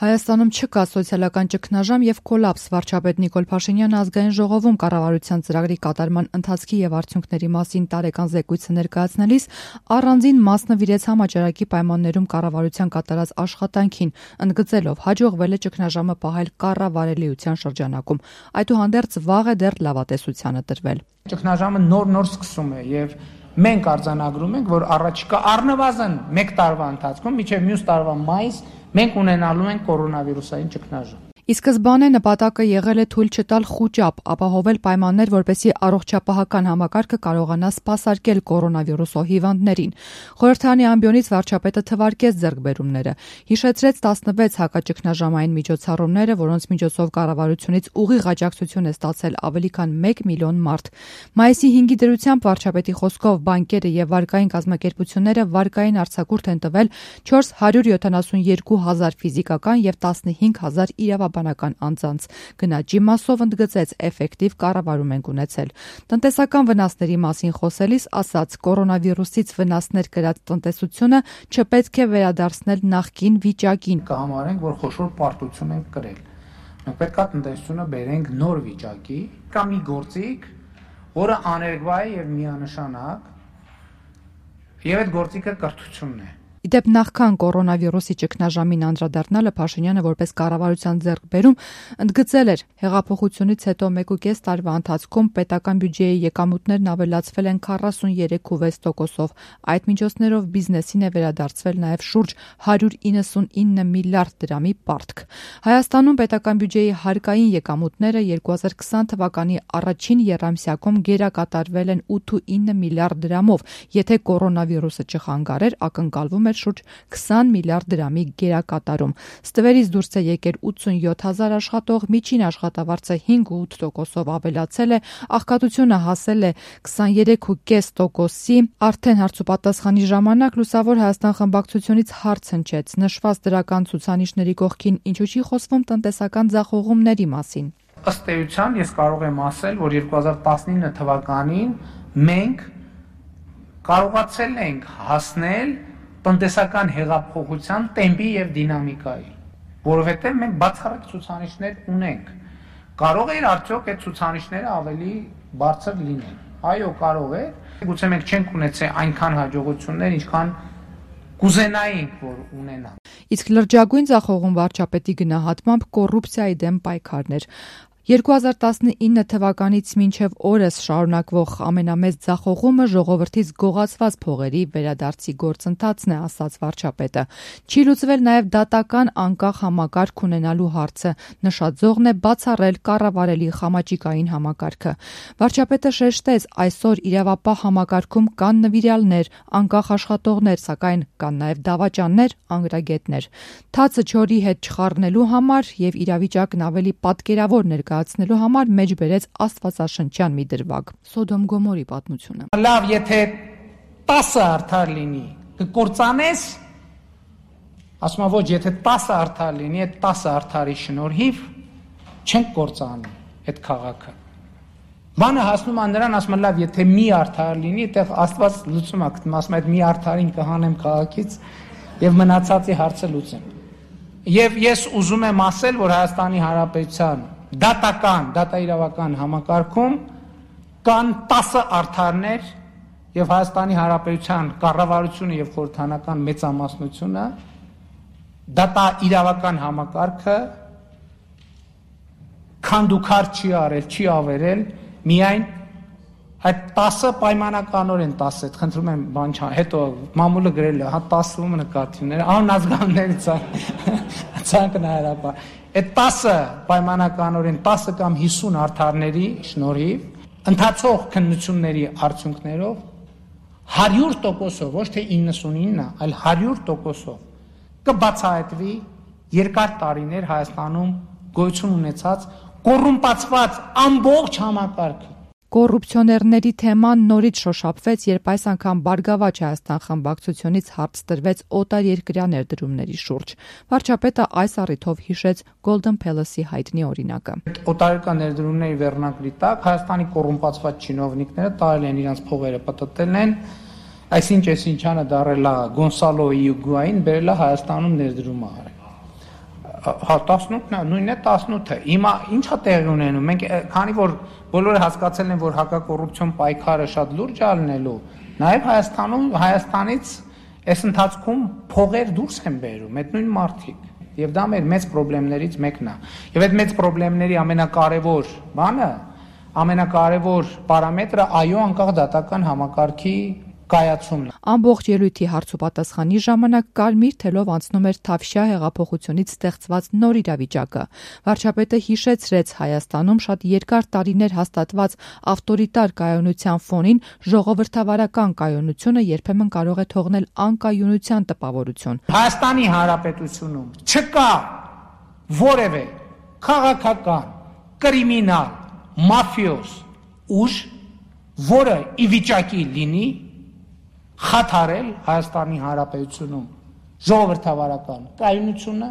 Հայաստանում չկա սոցիալական ճգնաժամ եւ կոլապս։ Վարչապետ Նիկոլ Փաշինյանը ազգային ժողովում կառավարության ծրագրի կատարման ընթացքի եւ արդյունքների մասին տարեկան զեկույցը ներկայացնելիս առանձին մաս նվիրեց համաճարակի պայմաններում կառավարության կատարած աշխատանքին, ընդգծելով հաջողվել է ճգնաժամը պահել կառավարելիության շրջանակում։ Այդուհանդերձ վաղ է դեռ լավատեսությանը տրվել։ Ճգնաժամը նոր սկսում է եւ մենք արձանագրում ենք, որ առաջիկա առնվազն 1 տարվա ընթացքում մինչեւ մյուս տարվա մայիս մենք ունենալու ենք կորոնավիրուսային ճգնաժամ։ Ի սկզբանե նպատակը եղել է թույլ չտալ խուճապ, ապահովել պայմաններ, որպեսզի առողջապահական համակարգը կարողանա սպասարկել կորոնավիրուսով հիվանդներին։ Խորհրդարանի ամբիոնից վարչապետը թվարկեց ձեռքբերումները, հիշեցրեց 16 հակաճգնաժամային միջոցառումները, որոնց միջոցով կառավարությունից ուղիղ աջակցություն է ստացել ավելի քան 1 միլիոն մարդ։ Մայիսի 5-ի դրությամբ վարչապետի խոսքով բանկերը եւ վարկային կազմակերպությունները վարկային արձակուրդ են տվել 472 հազար ֆիզիկական եւ 15 հազար իրավաբանական անձանց։ Գնաճի մասով ընդգծեց էֆեկտիվ կառավարում ենք ունեցել։ Տնտեսական վնասների մասին խոսելիս ասաց, կորոնավիրուսից վնասներ կրած տնտեսությունը չպետք է վերադարձնել նախկին վիճակին։ Կհամարենք, որ խոշոր պարտություն ենք կրել։ Մենք պետք է տնտեսությունը բերենք նոր վիճակի, կամ մի գործիք, որը աներկբա է եւ միանշանակ, եւ այդ գործիքը կրթությունն է։ Իդեպ նախքան կորոնավիրուսի ճգնաժամին անդրադառնալը Փաշինյանը որպես կառավարության ձեռքբերում ընդգծել էր, հեղափոխությունից հետո 1.5 տարվա ընթացքում պետական բյուջեի եկամուտներն ավելացվել են 43.6%-ով։ Այդ միջոցներով բիզնեսին է վերադարձվել նաև շուրջ 199 միլիարդ դրամի պարտք։ Հայաստանում պետական բյուջեի հարկային եկամուտները 2020 թվականի առաջին եռամսյակում գերակատարվել են 8.9 միլիարդ դրամով, եթե կորոնավիրուսը չխանգարեր, ակնկալվում շուրջ 20 միլիարդ դրամի գերակատարում։ Ստվերից դուրս է եկել 87 հազար աշխատող, միջին աշխատավարձը 5.8%-ով ավելացել է, աղքատությունը հասել է 23.5%-ի։ Արդեն հարցուպատասխանի ժամանակ Լուսավոր Հայաստան խմբակցությունից հարց հնչեց նշված դրական ցուցանիշների կողքին ինչու չի խոսվում տնտեսական ձախողումների մասին։ Ըստ էության ես կարող եմ ասել, որ 2019 թվականին մենք կարողացել ենք հասնել տնտեսական հեղափոխության տեմպի եւ դինամիկայի, որովհետեւ մենք բացառիկ ցուցանիշներ ունենք։ Կարող է արդյոք այդ ցուցանիշները ավելի բարձր լինեն։ Այո, կարող է։ Գուցե մենք չենք ունեցել այնքան հաջողություններ, ինչքան կուզենայինք, որ ունենանք։ Իսկ լրջագույն ձախողում վարչապետի գնահատմամբ կոռուպցիայի դեմ պայքարն էր։ 2019 թվականից մինչև օրս շարունակվող ամենամեծ ձախողումը ժողովրդից գողացված փողերի վերադարձի գործընթացն է, ասաց վարչապետը։ Չի լուծվել նաև դատական անկախ համակարգ ունենալու հարցը, նշաձողն է բացառել կառավարելի խամաճիկային համակարգը։ Վարչապետը շեշտեց, այսօր իրավապահ համակարգում կան նվիրյալներ, անկախ աշխատողներ, սակայն կան նաև դավաճաններ, անգրագետներ։ Թացը չորի հետ չխառնելու համար եւ իրավիճակն ավելի պատկերավոր ներկայացնելու համար մեջ բերեց աստվածաշնչյան մի դրվագ։ Սոդոմ Գոմորի պատմությունը։ Լավ, եթե 10 արդար լինի, կկործանես, ասում եմ ոչ, եթե 10 արդար լինի, այդ 10 արդարի շնորհիվ չենք կործանի այդ քաղաքը։ Բանը հասնում է նրան, ասում եմ լավ, եթե մի արդար լինի, այդտեղ Աստված լուծում է գտնում, ասում եմ այդ մի արդարին կհանեմ քաղաքից եւ մնացածի հարցը լուծեմ։ Եվ ես ուզում եմ ասել, որ Հայաստանի Հանրապետության դատաիրավական համակարգում կան 10 արդարներ եւ Հայաստանի Հանրապետության կառավարությունը եւ խորհրդանական մեծամասնությունը դատաիրավական համակարգը քանդուքար չի արել, չի ավերել, միայն այդ 10-ը պայմանականորեն 10 է, խնդրում եմ բան չա, հետո մամուլը գրել է, հա 10-ում նկատիվները, անազգանների ցանկն հարաբար։ Այդ 10-ը պայմանականորեն 10 կամ 50 արդարների շնորհիվ ընթացող քննությունների արդյունքներով 100%-ով, ոչ թե 99, այլ 100%-ով կբացահայտվի երկար տարիներ Հայաստանում գոյություն ունեցած կոռումպացված ամբողջ համակարգը։ Կոռուպցիոներների թեման նորից շոշափվեց, երբ այս անգամ Բարգավաճ Հայաստան խմբակցությունից հարց տրվեց օտարերկրյա ներդրումների շուրջ։ Վարչապետը այս առիթով հիշեց Golden Palace-ի հայտնի օրինակը։ Օտարերկրյա ներդրումների վերնակրի տակ Հայաստանի կոռումպացված չինովնիկները տարել են իրենց փողերը, պտտել են, այսինչ դարել է Գոնսալո Իուգուային, բերել է Հայաստանում ներդրում արել։ Հա 18-ն է, նույնն է 18-ը։ Հիմա ի՞նչ է տեղի ունենում։ Մենք քանի որ բոլորը հասկացել են, որ հակակոռուպցիոն պայքարը շատ լուրջ է լինելու, նաև Հայաստանից այս ընթացքում փողեր դուրս են բերում, այդ նույն մարդիկ։ Եվ դա մեր մեծ խնդիրներից մեկն է։ Եվ այդ մեծ խնդիրների ամենակարևոր բանը, ամենակարևոր պարամետրը այո անկախ դատական համակարգի կայացումն է։ Ամբողջ ելույթի հարցուպատասխանի ժամանակ կարմիր թելով անցնում էր Թավշյա հեղափոխությունից ստեղծված նոր իրավիճակը։ Վարչապետը հիշեցրեց Հայաստանում շատ երկար տարիներ հաստատված ավտորիտար կայունության ֆոնին ժողովրդավարական կայունությունը երբեմն կարող է թողնել անկայունության տպավորություն։ Հայաստանի Հանրապետությունում չկա որևէ քաղաքական, կրիմինալ, մաֆիոզ ուժ, որը ի վիճակի լինի խաթարել Հայաստանի Հանրապետությունում ժողովրդավարական կայունությունը